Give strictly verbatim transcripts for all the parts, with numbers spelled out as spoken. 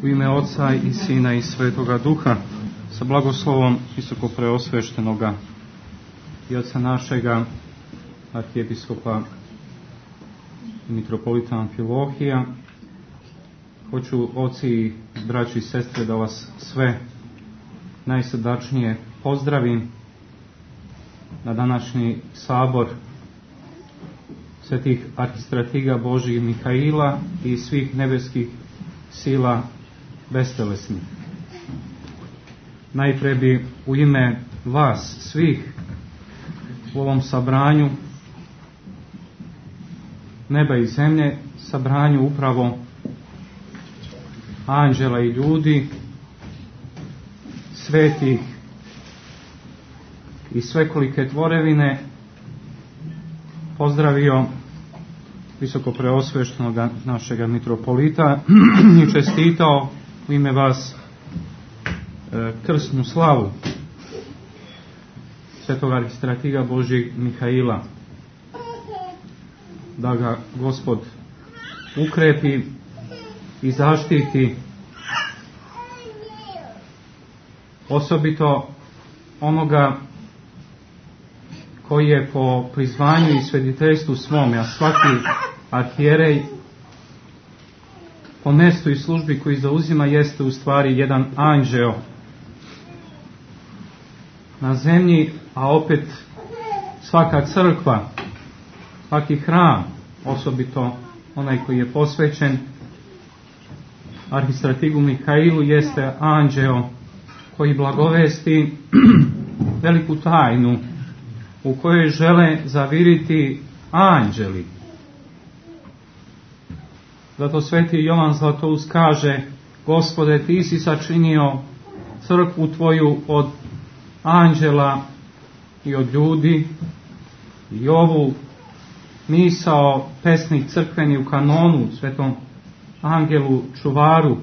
U ime Oca i Sina i Svetoga Duha, sa blagoslovom visoko preosveštenoga i oca našega arhijepiskopa i mitropolita Amfilohija, hoću, oci, braći i sestre, da vas sve najsrdačnije pozdravim na današnji sabor svetih arhistratiga Božjih Mihaila i svih nebeskih sila bestelesnih. Najpre bi u ime vas svih u ovom sabranju neba i zemlje, sabranju upravo anđela i ljudi, svetih i svekolike tvorevine, pozdravio visoko preosveštenog našega mitropolita i čestitao u ime vas e, krsnu slavu svetog arhistratiga Božjeg Mihaila, da ga Gospod ukrepi i zaštiti, osobito onoga koji je po prizvanju i svediteljstvu svome, a svaki arhijerej po mjestu i službi koji zauzima jeste u stvari jedan anđeo na zemlji, a opet svaka crkva, svaki hram, osobito onaj koji je posvećen arhistratigu Mihailu, jeste anđeo koji blagovesti veliku tajnu u kojoj žele zaviriti anđeli. Zato sveti Jovan Zlatoust kaže: Gospode, ti si sačinio crkvu tvoju od anđela i od ljudi, i ovu misao pesnik crkveni u kanonu, svetom angelu čuvaru,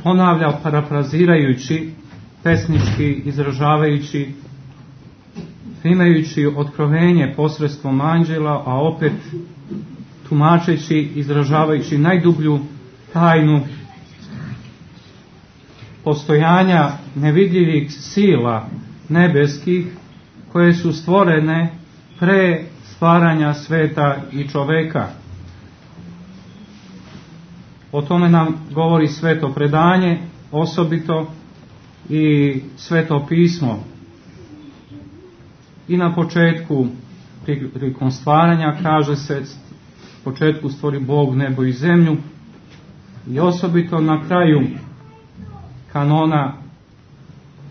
ponavlja parafrazirajući, pesnički izražavajući, imajući otkrovenje posredstvom anđela, a opet tumačeći, izražavajući najdublju tajnu postojanja nevidljivih sila nebeskih koje su stvorene pre stvaranja sveta i čoveka. O tome nam govori sveto predanje, osobito i sveto pismo. I na početku, prilikom stvaranja, kaže se, u početku stvori Bog nebo i zemlju, i osobito na kraju kanona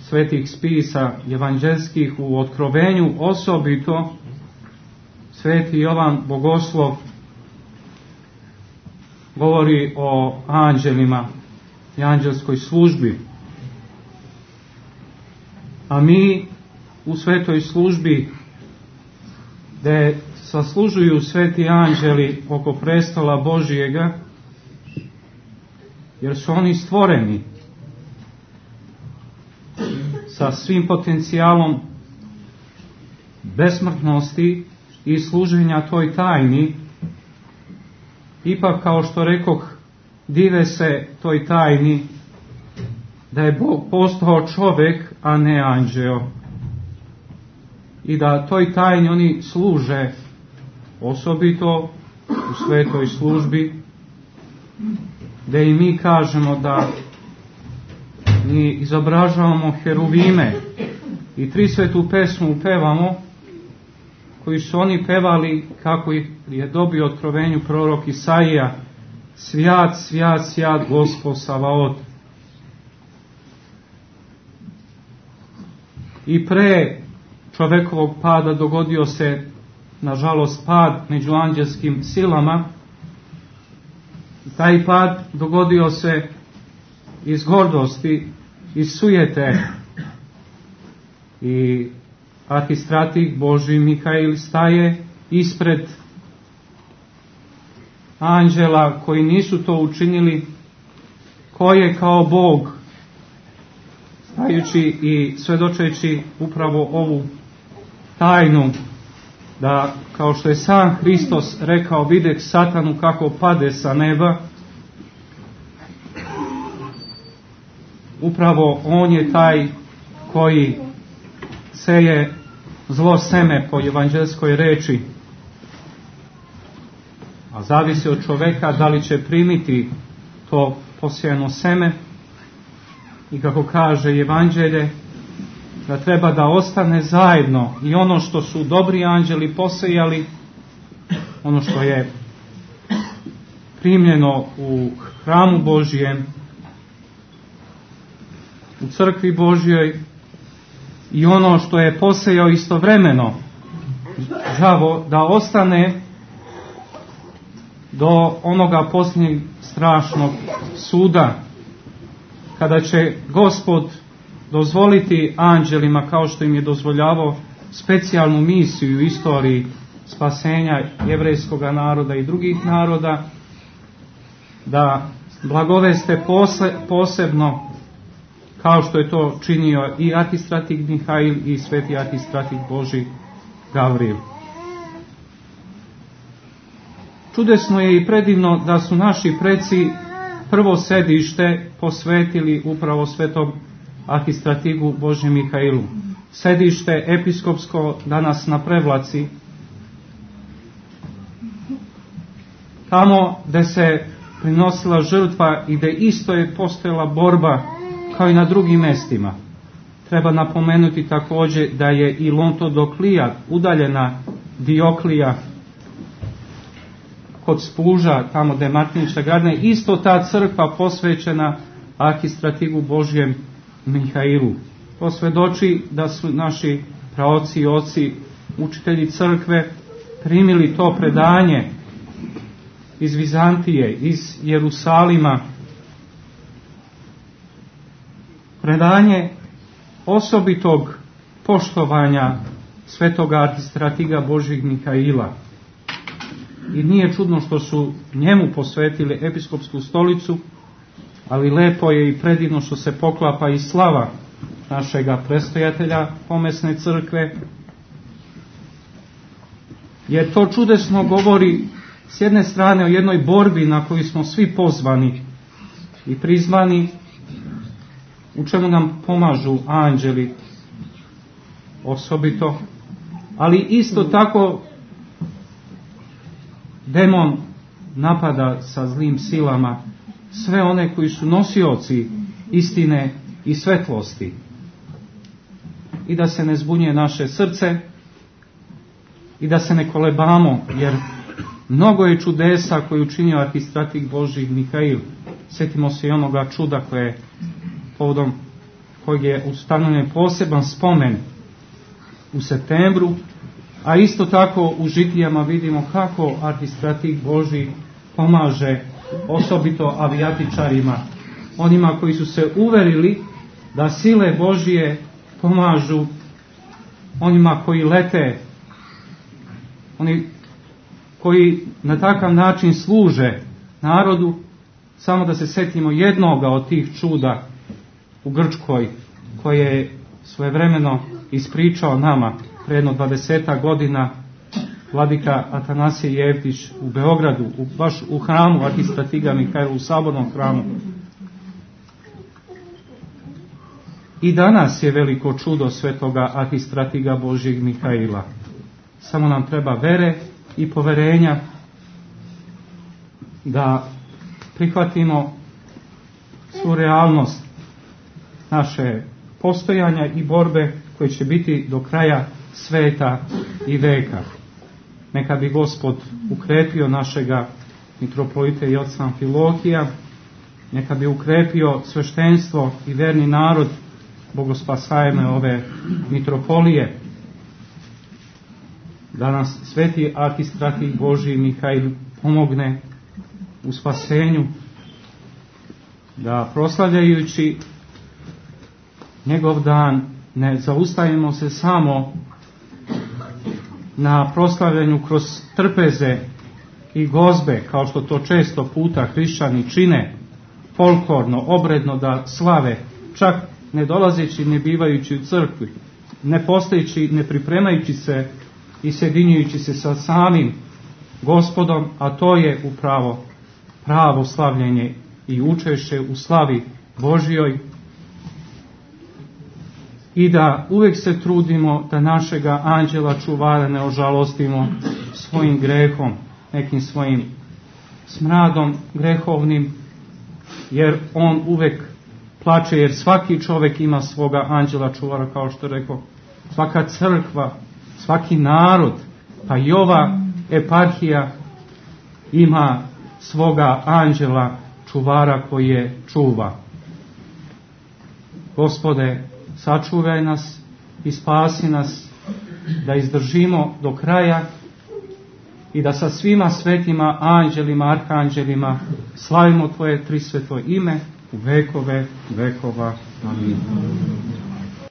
svetih spisa evanđelskih u otkrovenju, osobito sveti Jovan Bogoslov govori o anđelima i anđelskoj službi. A mi u svetoj službi, gdje saslužuju sveti anđeli oko prestola Božijega, jer su oni stvoreni sa svim potencijalom besmrtnosti i služenja toj tajni, ipak, kao što rekoh, dive se toj tajni da je Bog postao čovjek, a ne anđeo, i da toj tajni oni služe, osobito u svetoj službi, gdje i mi kažemo da mi izobražavamo heruvime i tri svetu pesmu pevamo, koji su oni pevali kako je dobio otkrovenju prorok Isaija: Svjat, svjat, svjat, Gospod Savaot. I pre čovekovog pada dogodio se, nažalost, pad među anđelskim silama. Taj pad dogodio se iz gordosti, iz sujete, i arhistratih Božji Mihail staje ispred anđela koji nisu to učinili, koje kao Bog, stajući i svedočeći upravo ovu tajnu, da, kao što je sam Hristos rekao, videh satanu kako pade sa neba, upravo on je taj koji seje zlo seme po evanđelskoj reči, a zavisi od čoveka da li će primiti to posijano seme, i kako kaže evanđelje, da treba da ostane zajedno i ono što su dobri anđeli posejali, ono što je primljeno u hramu Božijem, u crkvi Božjoj, i ono što je posejao istovremeno đavo, da ostane do onoga posljednjeg strašnog suda, kada će Gospod dozvoliti anđelima, kao što im je dozvoljavao specijalnu misiju u istoriji spasenja jevrejskog naroda i drugih naroda, da blagoveste pose, posebno, kao što je to činio i arhistratik Mihail i sveti arhistratik Božji Gavril. Čudesno je i predivno da su naši preci prvo sedište posvetili upravo svetom arhistratigu Božjem Mihailu. Sedište episkopsko danas na Prevlaci, tamo gde se prinosila žrtva i gde isto je postojala borba kao i na drugim mestima. Treba napomenuti također da je i Lontodoklija, udaljena Dioklija, kod Spuža, tamo gde je Martinića Gardne, isto ta crkva posvećena arhistratigu Božjem Mihailu. To svedoči da su naši praoci i oci, učitelji crkve, primili to predanje iz Vizantije, iz Jerusalima, predanje osobitog poštovanja svetoga arhistratiga Božjeg Mihaila. I nije čudno što su njemu posvetili episkopsku stolicu, ali lepo je i predivno što se poklapa i slava našega prestojatelja pomesne crkve, jer to čudesno govori s jedne strane o jednoj borbi na koju smo svi pozvani i prizvani, u čemu nam pomažu anđeli osobito, ali isto tako demon napada sa zlim silama sve one koji su nosioci istine i svetlosti. I da se ne zbunjuje naše srce i da se ne kolebamo, jer mnogo je čudesa koje učinio arhistratik Božji Mihail. Sjetimo se i onoga čuda koje je povodom kojeg je ustanovljen poseban spomen u septembru, a isto tako u žitijama vidimo kako arhistratik Božji pomaže osobito avijatičarima, onima koji su se uverili da sile Božje pomažu onima koji lete, oni koji na takav način služe narodu. Samo da se setimo jednoga od tih čuda u Grčkoj, koje je svojevremeno ispričao nama pre jedno dvadesetak godina vladika Atanasije Jevtić u Beogradu, u, baš u hramu arhistratiga Mihaila, u sabornom hramu. I danas je veliko čudo svetoga arhistratiga Božjeg Mihaila. Samo nam treba vere i poverenja da prihvatimo svu realnost naše postojanja i borbe koje će biti do kraja sveta i veka. Neka bi Gospod ukrepio našega mitropolita i oca Amfilohija, neka bi ukrepio sveštenstvo i verni narod bogospasajme ove mitropolije, da nas sveti arhistratik Božji Mihail pomogne u spasenju, da proslavljajući njegov dan ne zaustavimo se samo na proslavljanju kroz trpeze i gozbe, kao što to često puta hrišćani čine, folklorno, obredno da slave, čak ne dolazeći, ne bivajući u crkvi, ne postojeći, ne pripremajući se i sjedinjujući se sa samim Gospodom, a to je upravo pravo slavljenje i učešće u slavi Božjoj, i da uvijek se trudimo da našega anđela čuvara ne ožalostimo svojim grehom, nekim svojim smradom grehovnim, jer on uvijek plače, jer svaki čovjek ima svoga anđela čuvara, kao što rekao, svaka crkva, svaki narod, pa i ova eparhija ima svoga anđela čuvara koji je čuva. Gospode, sačuvaj nas i spasi nas, da izdržimo do kraja i da sa svima svetima, anđelima, arhanđelima slavimo Tvoje trisveto ime u vekove vekova. Amin.